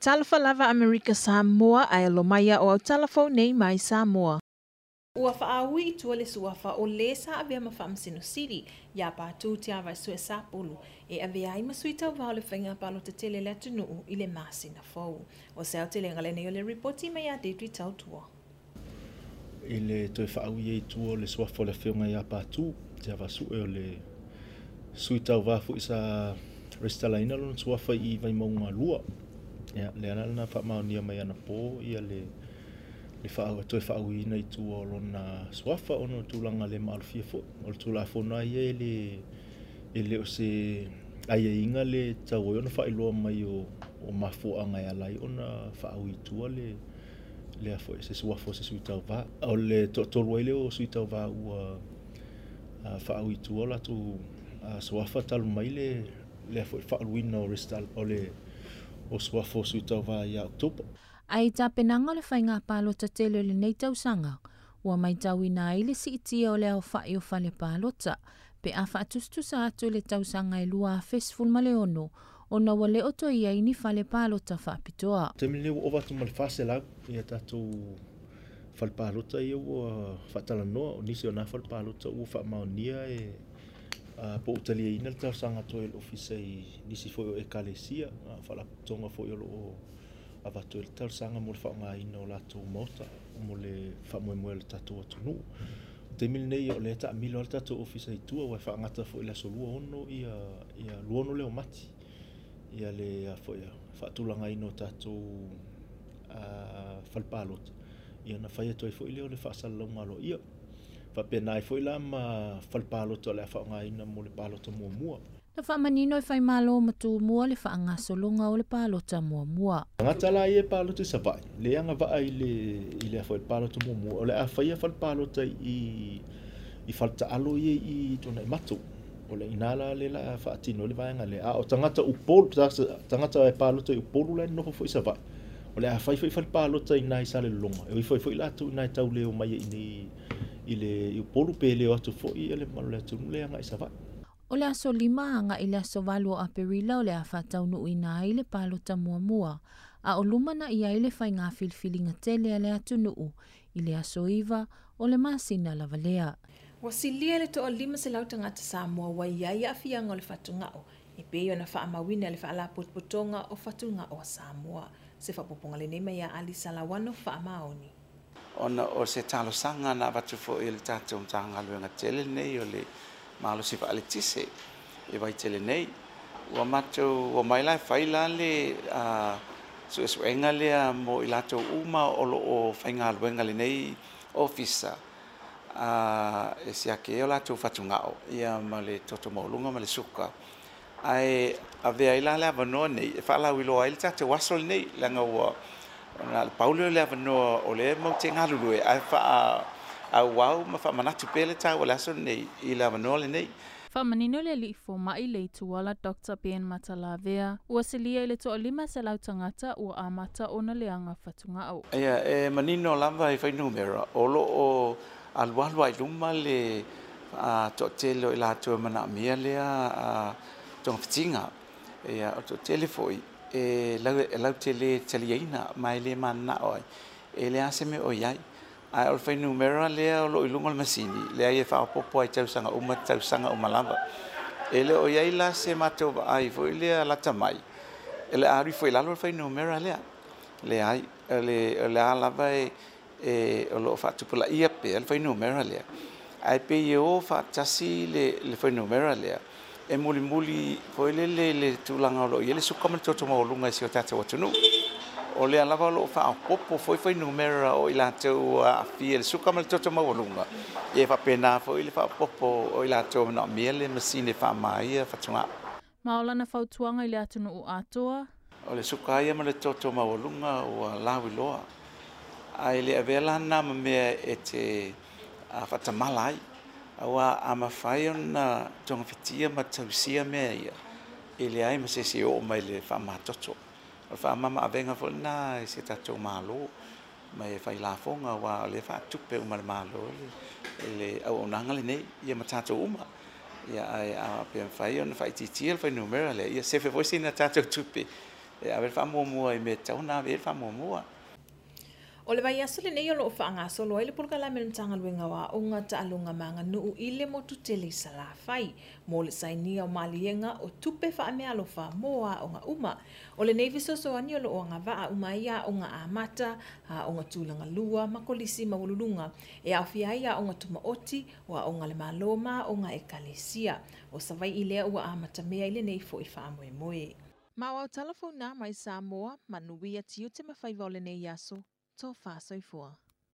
Talofa lava Amerika Samoa ae alo mai o au tala fou nei mai Samoa. Ua faaui i tua le suafa o lē sa avea ma Faamasino Sili ia Patu Tiavaesue Sapulu e avea ai ma sui tauva o le faiga palota tele a le atunuu i le masina fou. O se aotelega lenei o le ripoti mai ia Deidre Tautua. I le toe faaui ai i tua o le suafa o le Afioga ia Patu Tiavaasue, o le sui tauva foi sa resitalaina lona suafa i Vaimauga 2. Ia, lea la na faamaonia mai anapo ia le toe faauiina i tua o lona suafa ona o tulaga le maalofia foi. O le Tulafono lava ia e le o se aiaiga le tatau ai ona faailoa mai o mafuaaga e ala ai ona faaui i tua lea foi se suafa o se sui tauva. O le toatolu ai lea o sui tauva ua faaui i tua o latou suafa talu mai lea foi faauluina o resitala o le o suafa o sui tauva ia Oketopa. Ae i tapenaga o le faiga palota tele o lenei tausaga, ua matauina ai le siitia o le aofai o fale palota, pe a faatusatusa atu i le tausaga e 2016, ona ua le o toe i ai ni fale palota faapitoa. Taimi lenei ua ova atu ma le 400 ia tatou fale palota ia ua faatalanoa. O nisi o nā fale palota ua faamaonia e po o taliaina le talosaga atu ai le ofisa i nisi foi o ekalesia, faalapotopotoga foi o lo o avatu ai le talosaga mo le faaaogaina o latou maota mo le faamoemoe o le tatou atunuu. O taimi lenei o lea taamilo lava le tatou ofisa i tua, ua e faagata foi i le aso 26 ia 26 lea o Mati ia le foi faatulagaina o tatou fale palota, ia na fai atu ai foi lea o le faasalalauga aloaia. Faapena ai foi la ma fale palota o le a faaaogaina mo le palota muamua. Na faamanino e Faimalo ma Tumua le faagasologa o le palota muamua. Tagata la ia e palota i Savaii, le agavaa i le foi palota muamua, o le a faia fale palota i faletaalo ia i Tuanaimato. O le ina la le la faatino le vaega lea. A o tagata Upolu, tagata e palota i Upolu la e nofo foi i Savaii, o le a fai foi fale palota i nai i Salelologa, e o ifo ai foi latou i nai tau leo mai i i le Upolu pe leo atu foi ia le mamalu o le atunuu le agai i Savaii. O le aso 5 agai i le aso 8 o Aperila o le a faataunuuina ai le palota muamua, a o lumana i ai le faiga filifiliga tele a le atunuu i le aso 9 o le masina lava lea. Ua silia le toa 500 tagata Samoa ua i ai aafiaga o le fatugao, e pei ona faamauina le Faalapotopotoga o Fatugao a Samoa. Se faaopoopoga lenei mai ia Ali Salauano Faamaoni. Ona o se talosaga na avatu foi e le tatou Matagaluega tele lenei o le malosi faaletise e vaitele nei. Ua matou ua mai la e fai la le suesuega lea mo i latou uma o lo o faigaluega lenei ofisa e siaki ai o latou fatugao ia ma le toto maualuga ma le suka. Ae avea ai la le avanoa nei e faalauiloa ai le tatou aso lenei, leaga ua ona le pau lea o le avanoa o lea matou te galulue ae faaauau ma faamanatu pea le taua o le aso lenei i le avanoa lenei. Faamanino le alii fomai le Ituala Dr. Ben Matalavea, ua silia i le toa 500 tagata ua amata ona leaga fatugao. Ia, e manino lava i fuainumera o lo o alualu ai luma le toatele o i latou e manaomia lea togafitiga. Ia, o le toatele foi e lautele taliaina ma e le mananao ai, e leai se mea o i ai. Ae o le fuainumera lea o lo o i luga o le masini, lea e faaopoopo ai tausaga uma lava. E le o i ai la se matou vaai foi lea lata mai, e le a alu ifo i lalo le fuainumera lea. Leai, o le a lava e o lo o faatupulaia pea le fuainumera lea. Ae pei e o faatasi le fuainumera lea, e mulimuli foi lele le tulaga o lo o i ai le suka ma le toto maualuga i si o tatou atunuu. O lea lava o lo o faaopoopo foi fuainumera o i latou aafia i le suka ma le toto maualuga, ia e faapena foi le faaopoopo o i latou e manaomia le masini e faamama fatugao. Ma o lana fautuaga i le atunuu atoa. O le suka ia ma le toto maualuga ua lauiloa. Ae le avea la na ma mea e te faatamala ai. Aua a mafai ona togafitia ma tausia mea ia, e leai ma se isi e oo mai le faamamatoto. O le faamama avega foi lena i se tatou Malo ma e fai lafoga, aua o lea faatupe uma e le Malo le auaunaga lenei ia ma tatou uma. Ia, ae a pe mafai ona faaitiitia le fuainumera lea, ia sefe foi sina tatou tupe E ave le faamuamua i mea e tatau ona ave i ai le faamuamua. O le vaiaso lenei o loo faagasolo ai le polokalame a le Matagaluega o Aoga, Taaloga ma Aganuu i le motu tele i Salafai mo le sainia o maliega o tupe faameaalofa mo aoga uma. O lenei fesoasoani o loo agavaa uma ai aoga amata, aoga tulaga lua ma kolisi maualuluga e aofia ai aoga tumaoti, o aoga a le Malo ma aoga a Ekalesia. O Savaii lea ua amatamea i lenei foi faamoemoe. Ma o au tala fou na mai Samoa, manuia tiute ma faiva o lenei aso, tofa soifua.